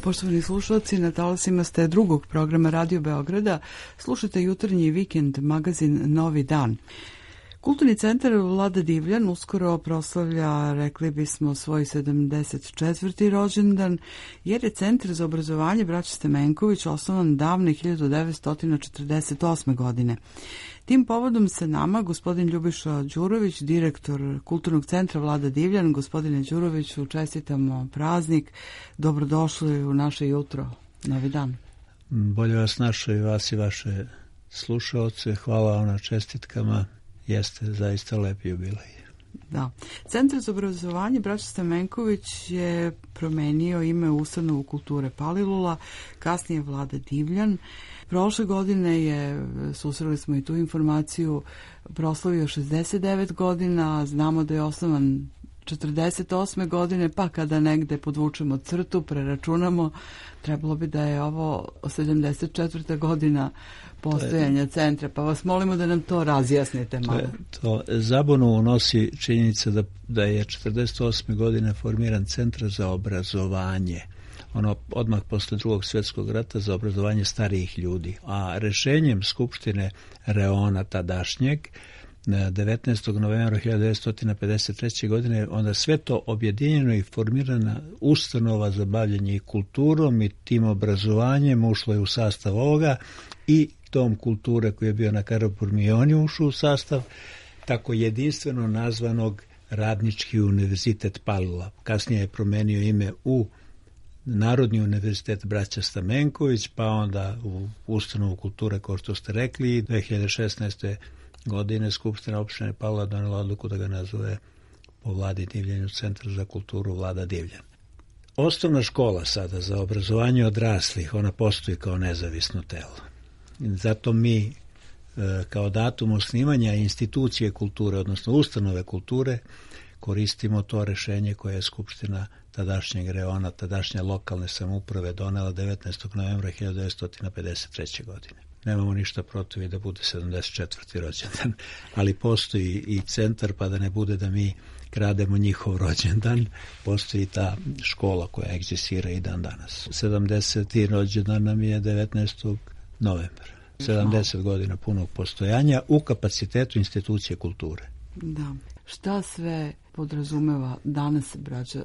Poštovani slušalci, na talasima ste drugog programa Radio Beograda. Slušate jutarnji vikend magazin Novi dan. Kulturni centar Vlada Divljan uskoro proslavlja, rekli bismo, svoj 74. rođendan, jer je Centar za obrazovanje Braće Stamenković osnovan davne 1948. godine. Tim povodom se nama gospodin Ljubiša Đurović, direktor Kulturnog centra Vlada Divljan. Gospodine Đuroviću, čestitamo praznik. Dobrodošli u naše jutro, Novi dan. Bolje vas našao i vas i vaše slušaoce. Hvala vam na čestitkama. Jeste zaista lep jubilej. Da. Centar za obrazovanje Braća Stamenković je promenio ime u Ustanovu kulture Palilula, kasnije Vlada Divljan. Prošle godine je, susreli smo i tu informaciju, proslavio 69 godina, znamo da je osnovan 48. godine, pa kada negde podvučemo crtu, preračunamo, trebalo bi da je ovo 74. godina postojanja centra, pa vas molimo da nam to razjasnite malo. Zabunu unosi činjenica da je 48. godine formiran Centar za obrazovanje, odmah posle Drugog svjetskog rata, za obrazovanje starijih ljudi, a rešenjem Skupštine Reona tadašnjeg 19. novembra 1953. godine onda sve to objedinjeno i formirana ustanova za bavljanje kulturom i tim obrazovanjem ušlo je u sastav ovoga i Dom kulture koji je bio na Karaburmi ušao u sastav tako jedinstveno nazvanog Radnički univerzitet Palilula. Kasnije je promenio ime u Narodni univerzitet Braća Stamenković, pa onda u ustanovu kulture, kao što ste rekli, 2016. godine Skupština opštine Palilula donela odluku da ga nazove po Vladi Divljanju Centar za kulturu Vlada Divljan. Osnovna škola sada za obrazovanje odraslih, ona postoji kao nezavisno telo. Zato mi kao datum osnivanja institucije kulture, odnosno ustanove kulture, koristimo to rešenje koje je Skupština tadašnjeg Reona, tadašnje lokalne samouprave donela 19. novembra 1953. godine. Nemamo ništa protiv i da bude 74. rođendan, ali postoji i centar, pa da ne bude da mi krademo njihov rođendan, postoji ta škola koja egzistira i dan danas. 70. rođendan nam je 19. novembra. 70 godina punog postojanja u kapacitetu institucije kulture. Da. Šta sve podrazumeva danas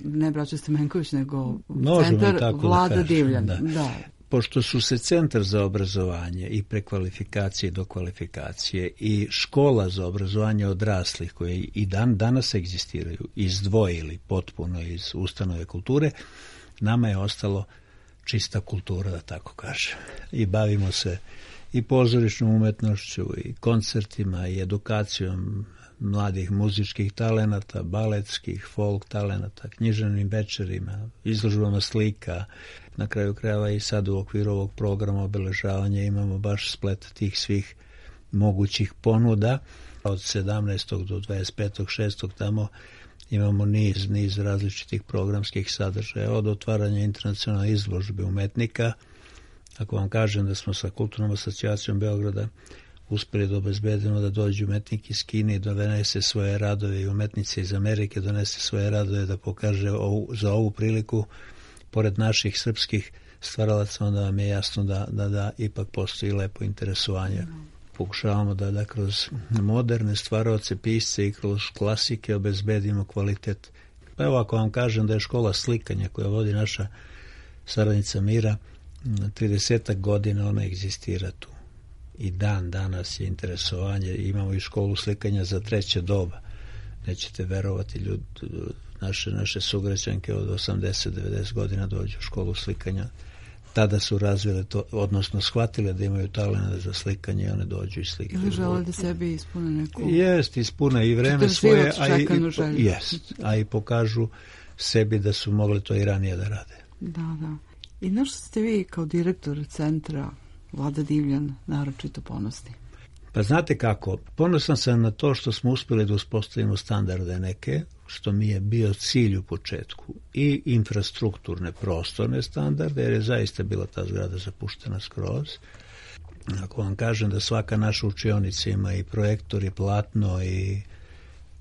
ne Braća Stamenković, nego Centar Vlada Divljan? Da. Pošto su se Centar za obrazovanje i prekvalifikacije i dokvalifikacije i škola za obrazovanje odraslih koje i danas egzistiraju izdvojili potpuno iz ustanove kulture, nama je ostalo čista kultura, da tako kažem. I bavimo se i pozorišnom umetnošću, i koncertima, i edukacijom mladih muzičkih talenata, baletskih, folk talenata, književnim večerima, izložbama slika. Na kraju krajeva i sad u okviru ovog programa obeležavanja imamo baš splet tih svih mogućih ponuda. Od 17. do 25.6. tamo imamo niz različitih programskih sadržaja, od otvaranja internacionalne izložbe umetnika. Ako vam kažem da smo sa Kulturnom asocijacijom Beograda uspeli da obezbedimo da dođu umetnik iz Kine i donese svoje radove, i umetnice iz Amerike donese svoje radove da pokaže za ovu priliku, pored naših srpskih stvaralaca, onda vam je jasno da ipak postoji lepo interesovanje. Pokušavamo da kroz moderne stvaraoce, pisce i kroz klasike obezbedimo kvalitet. Pa evo, ako vam kažem da je škola slikanja koja vodi naša saradnica Mira, 30 godina ona egzistira tu. I dan danas je interesovanje. Imamo i školu slikanja za treće doba. Nećete verovati, naše sugrađanke od 80-90 godina dođu u školu slikanja. Tada su razvile to, odnosno shvatile da imaju talent za slikanje i one dođu i slikaju. Ili žele da sebi ispune neku... Jest, ispune i vreme svoje, a i pokažu sebi da su mogli to i ranije da rade. Da. I na što ste vi kao direktor centra Vlada Divljan naročito ponosni? Pa znate kako, ponosan sam na to što smo uspjeli da uspostavimo standarde neke, što mi je bio cilj u početku, i infrastrukturne prostorne standarde, jer je zaista bila ta zgrada zapuštena skroz. Ako vam kažem da svaka naša učionica ima i projektor i platno, i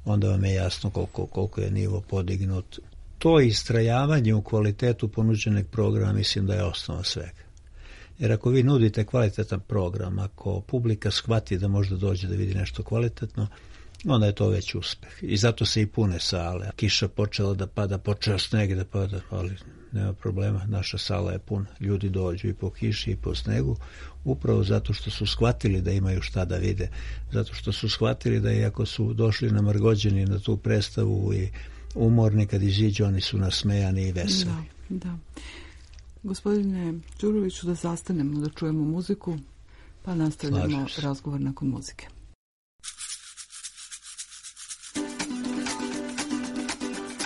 onda vam je jasno koliko je nivo podignut. to istrajavanje u kvalitetu ponuđenog programa mislim da je osnova svega. Jer ako vi nudite kvalitetan program, ako publika shvati da možda dođe da vidi nešto kvalitetno, onda je to već uspeh. I zato se i pune sale. Kiša počela da pada, počeo sneg da pada, ali nema problema, naša sala je puna. Ljudi dođu i po kiši i po snegu, upravo zato što su shvatili da imaju šta da vide. Zato što su shvatili da iako su došli namrgođeni na tu predstavu i umorni, kad iziđu, oni su nasmejani i veseli. Da. Gospodine Đuroviću, da zastanemo, da čujemo muziku, pa nastavljamo razgovor nakon muzike.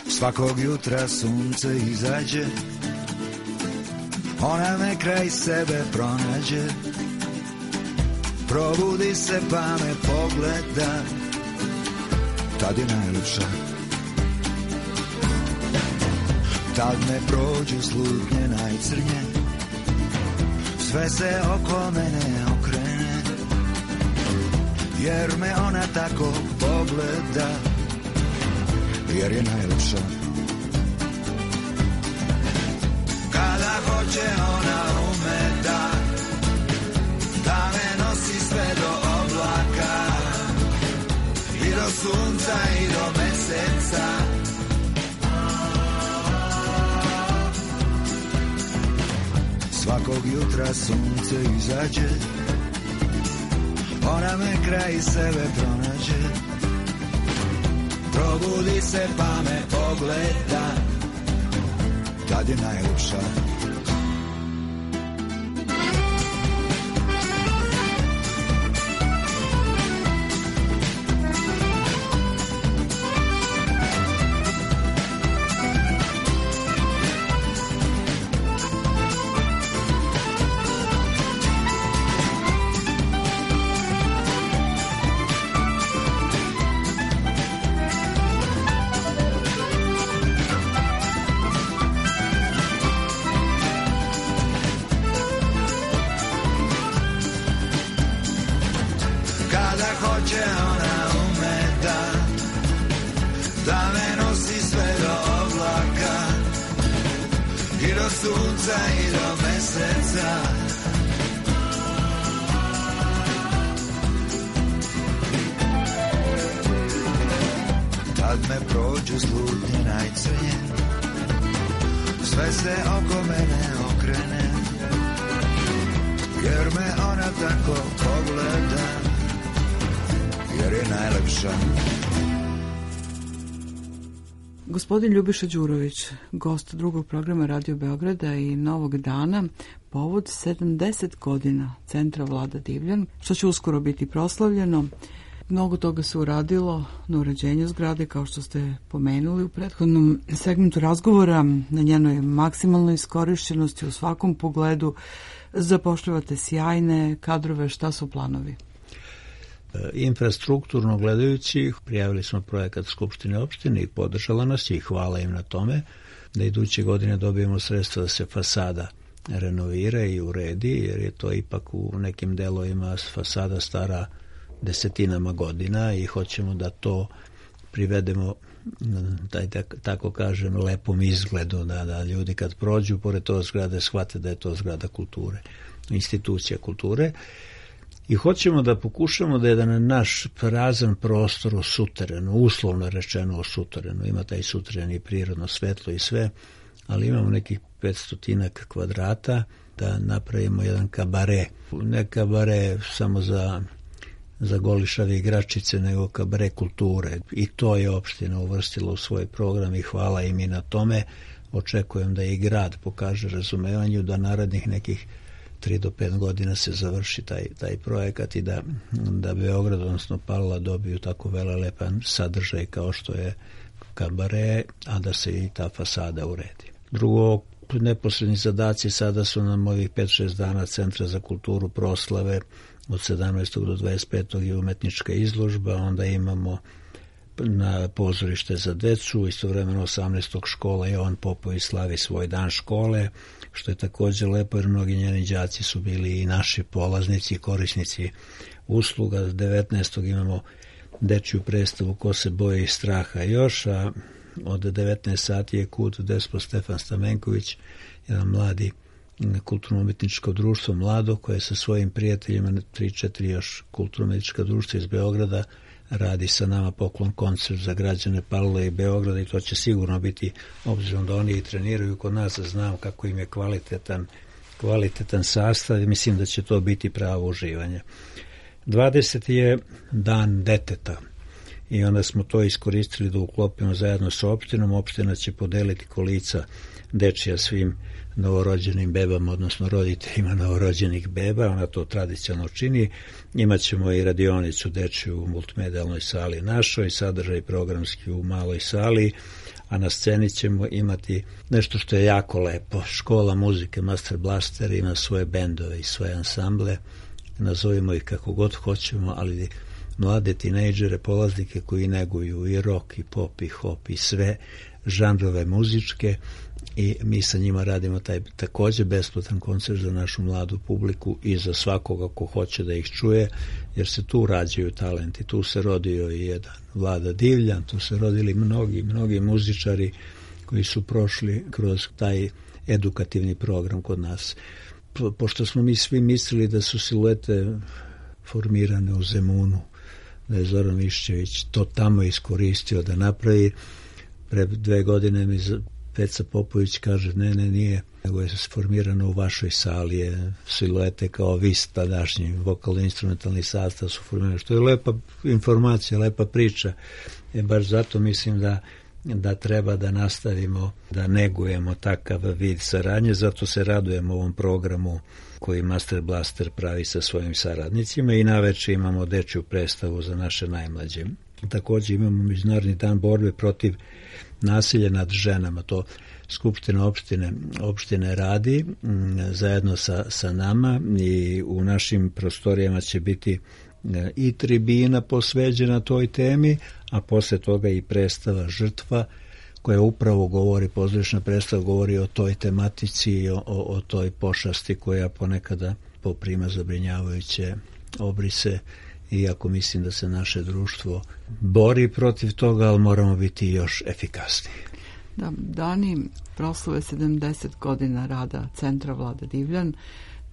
Svakog jutra sunce izađe, ona me kraj sebe pronađe, probudi se pa me pogleda, tad je najljepša. Tad me prođu slutnje najcrnje, sve se oko mene okrene, jer me ona tako pogleda, jer je najljepša. Kada hoće ona ume da me nosi sve do oblaka i do sunca i do meseca. Svakog jutra sunce izađe, ona me kraj sebe pronađe, probudi se pa me pogleda, tad je najljepša. Tad me prođu slutnje najcrnje, sve se oko mene okrene, jer me ona tako pogleda, jer je najlepša. Gospodin Ljubiša Đurović, gost drugog programa Radio Beograda i Novog dana, povod 70 godina Centra Vlada Divljan, što će uskoro biti proslavljeno. Mnogo toga se uradilo na uređenju zgrade, kao što ste pomenuli u prethodnom segmentu razgovora, na njenoj maksimalnoj iskorišćenosti u svakom pogledu. Zapošljavate sjajne kadrove, šta su planovi? Infrastrukturno gledajući, prijavili smo projekat Skupštine opštine i podržala nas i hvala im na tome, da iduće godine dobijemo sredstva da se fasada renovira i uredi, jer je to ipak u nekim delovima fasada stara desetinama godina i hoćemo da to privedemo, da tako kažem, lepom izgledu, da ljudi kad prođu pored to zgrade shvate da je to zgrada kulture, institucija kulture. I hoćemo da pokušamo da jedan naš prazan prostor u suterenu, uslovno rečeno u suterenu, ima taj suteren i prirodno svetlo i sve, ali imamo nekih 500 kvadrata, da napravimo jedan kabare. Ne kabare samo za golišave igračice, nego kabare kulture. I to je opština uvrstila u svoj program i hvala im i na tome. Očekujem da i grad pokaže razumevanju, da narednih nekih 3 do 5 godina se završi taj projekat i da Beograd, odnosno Palila, dobiju tako velelepan sadržaj kao što je kabare, a da se i ta fasada uredi. Drugo, neposredni zadaci sada su nam ovih 5-6 dana Centra za kulturu proslave, od 17. do 25. je umetnička izložba, onda imamo na pozorište za decu, istovremeno 18. škola Jovan Popović slavi svoj dan škole, što je također lepo jer mnogi njeni đaci su bili i naši polaznici i korisnici usluga. 19. imamo dečju predstavu Ko se boji straha još, a od 19 sati je Kut Despo Stefan Stamenković, jedan mladi kulturno-umetničko društvo mlado koje sa svojim prijateljima, 3-4 još kulturno-umetnička društva iz Beograda, radi sa nama poklon koncert za građane Palilule i Beograda i to će sigurno biti, obzirom da oni i treniraju kod nas, znam kako im je kvalitetan sastav i mislim da će to biti pravo uživanje. 20. je dan deteta i onda smo to iskoristili da uklopimo zajedno sa opštinom. Opština će podeliti kolica dečija svim novorođenim bebama, odnosno roditeljima novorođenih beba, ona to tradicionalno čini. Imaćemo i radionicu dečiju u multimedijalnoj sali našoj, sadržaj programski u maloj sali, a na sceni ćemo imati nešto što je jako lepo. Škola muzike Master Blaster ima svoje bendove i svoje ansamble, nazovimo ih kako god hoćemo, ali mlade tinejdžere, polaznike koji neguju i rock, i pop, i hop, i sve žanrove muzičke, i mi sa njima radimo taj također besplatan koncert za našu mladu publiku i za svakoga ko hoće da ih čuje, jer se tu rađaju talenti. Tu se rodio i jedan Vlada Divljan, tu se rodili mnogi muzičari koji su prošli kroz taj edukativni program kod nas. Pošto smo mi svi mislili da su siluete formirane u Zemunu, da je Zoran Mišćević to tamo iskoristio da napravi, pre 2 godine mi Peca Popović kaže, ne, nije, nego je formirano u vašoj sali, je siluete kao vi tadašnji vokalno-instrumentalni sastav su formirani, što je lepa informacija, lepa priča. Baš zato mislim da treba da nastavimo, da negujemo takav vid saradnje, zato se radujemo ovom programu koji Master Blaster pravi sa svojim saradnicima i naveče imamo dečju predstavu za naše najmlađe. Također imamo Međunarodni dan borbe protiv nasilja nad ženama, to Skupština opštine radi zajedno sa nama i u našim prostorijama će biti i tribina posveđena toj temi, a posle toga i predstava Žrtva koja upravo govori, pozorišna predstava govori o toj tematici i o toj pošasti koja ponekada poprima zabrinjavajuće obrise, iako mislim da se naše društvo bori protiv toga, ali moramo biti još efikasniji. Da, dani proslave 70 godina rada Centra Vlada Divljan.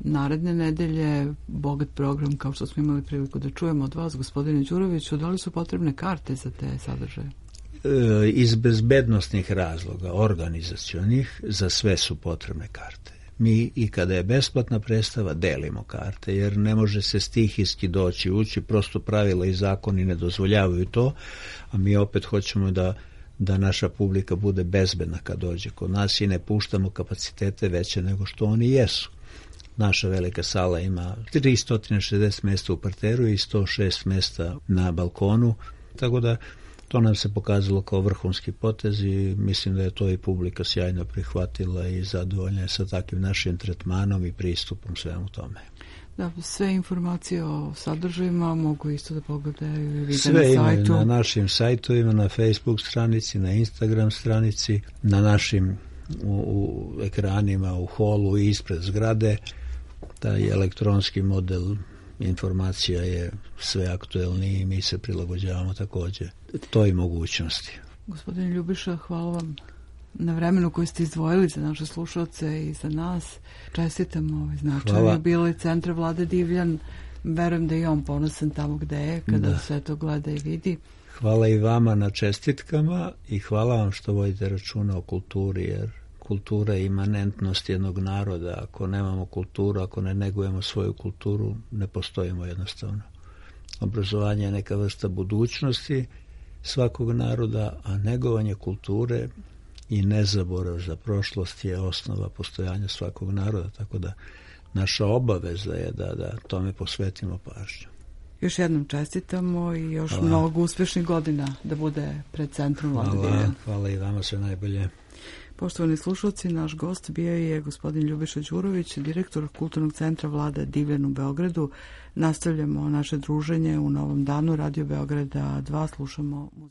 Naredne nedelje bogat program, kao što smo imali priliku da čujemo od vas, gospodine Đuroviću. Da li su potrebne karte za te sadržaje? Iz bezbednosnih razloga, organizacionih, za sve su potrebne karte. Mi i kada je besplatna predstava delimo karte, jer ne može se stihijski doći ući, prosto pravila i zakoni ne dozvoljavaju to, a mi opet hoćemo da naša publika bude bezbedna kad dođe kod nas i ne puštamo kapacitete veće nego što oni jesu. Naša velika sala ima 360 mjesta u parteru i 106 mjesta na balkonu, tako da to nam se pokazalo kao vrhunski potez i mislim da je to i publika sjajno prihvatila i zadovoljna je sa takvim našim tretmanom i pristupom svemu tome. Da, sve informacije o sadržajima mogu isto da pogledaju i vide sve na sajtu. Sve imaju na našim sajtovima, na Facebook stranici, na Instagram stranici, na našim u ekranima, u holu i ispred zgrade. Taj elektronski model informacija je sve aktuelniji i mi se prilagođavamo također toj mogućnosti. Gospodin Ljubiša, hvala vam na vremenu koji ste izdvojili za naše slušalce i za nas. Čestitam značajno jubilej Centra Vlada Divljan. Verujem da je on ponosan tamo gde je, kada sve to gleda i vidi. Hvala i vama na čestitkama i hvala vam što vodite računa o kulturi, jer kultura je imanentnost jednog naroda. Ako nemamo kulturu, ako ne negujemo svoju kulturu, ne postojimo jednostavno. Obrazovanje je neka vrsta budućnosti svakog naroda, a negovanje kulture i nezaborav za prošlost je osnova postojanja svakog naroda, tako da naša obaveza je da tome posvetimo pažnju. Još jednom čestitamo i još mnogo uspješnih godina da bude pred Centrom Vlada Divljan. Hvala i vama, sve najbolje. Poštovani slušalci, naš gost bio je gospodin Ljubiša Đurović, direktor Kulturnog centra Vlada Divljan u Beogradu. Nastavljamo naše druženje u novom danu Radio Beograda 2, slušamo muziku.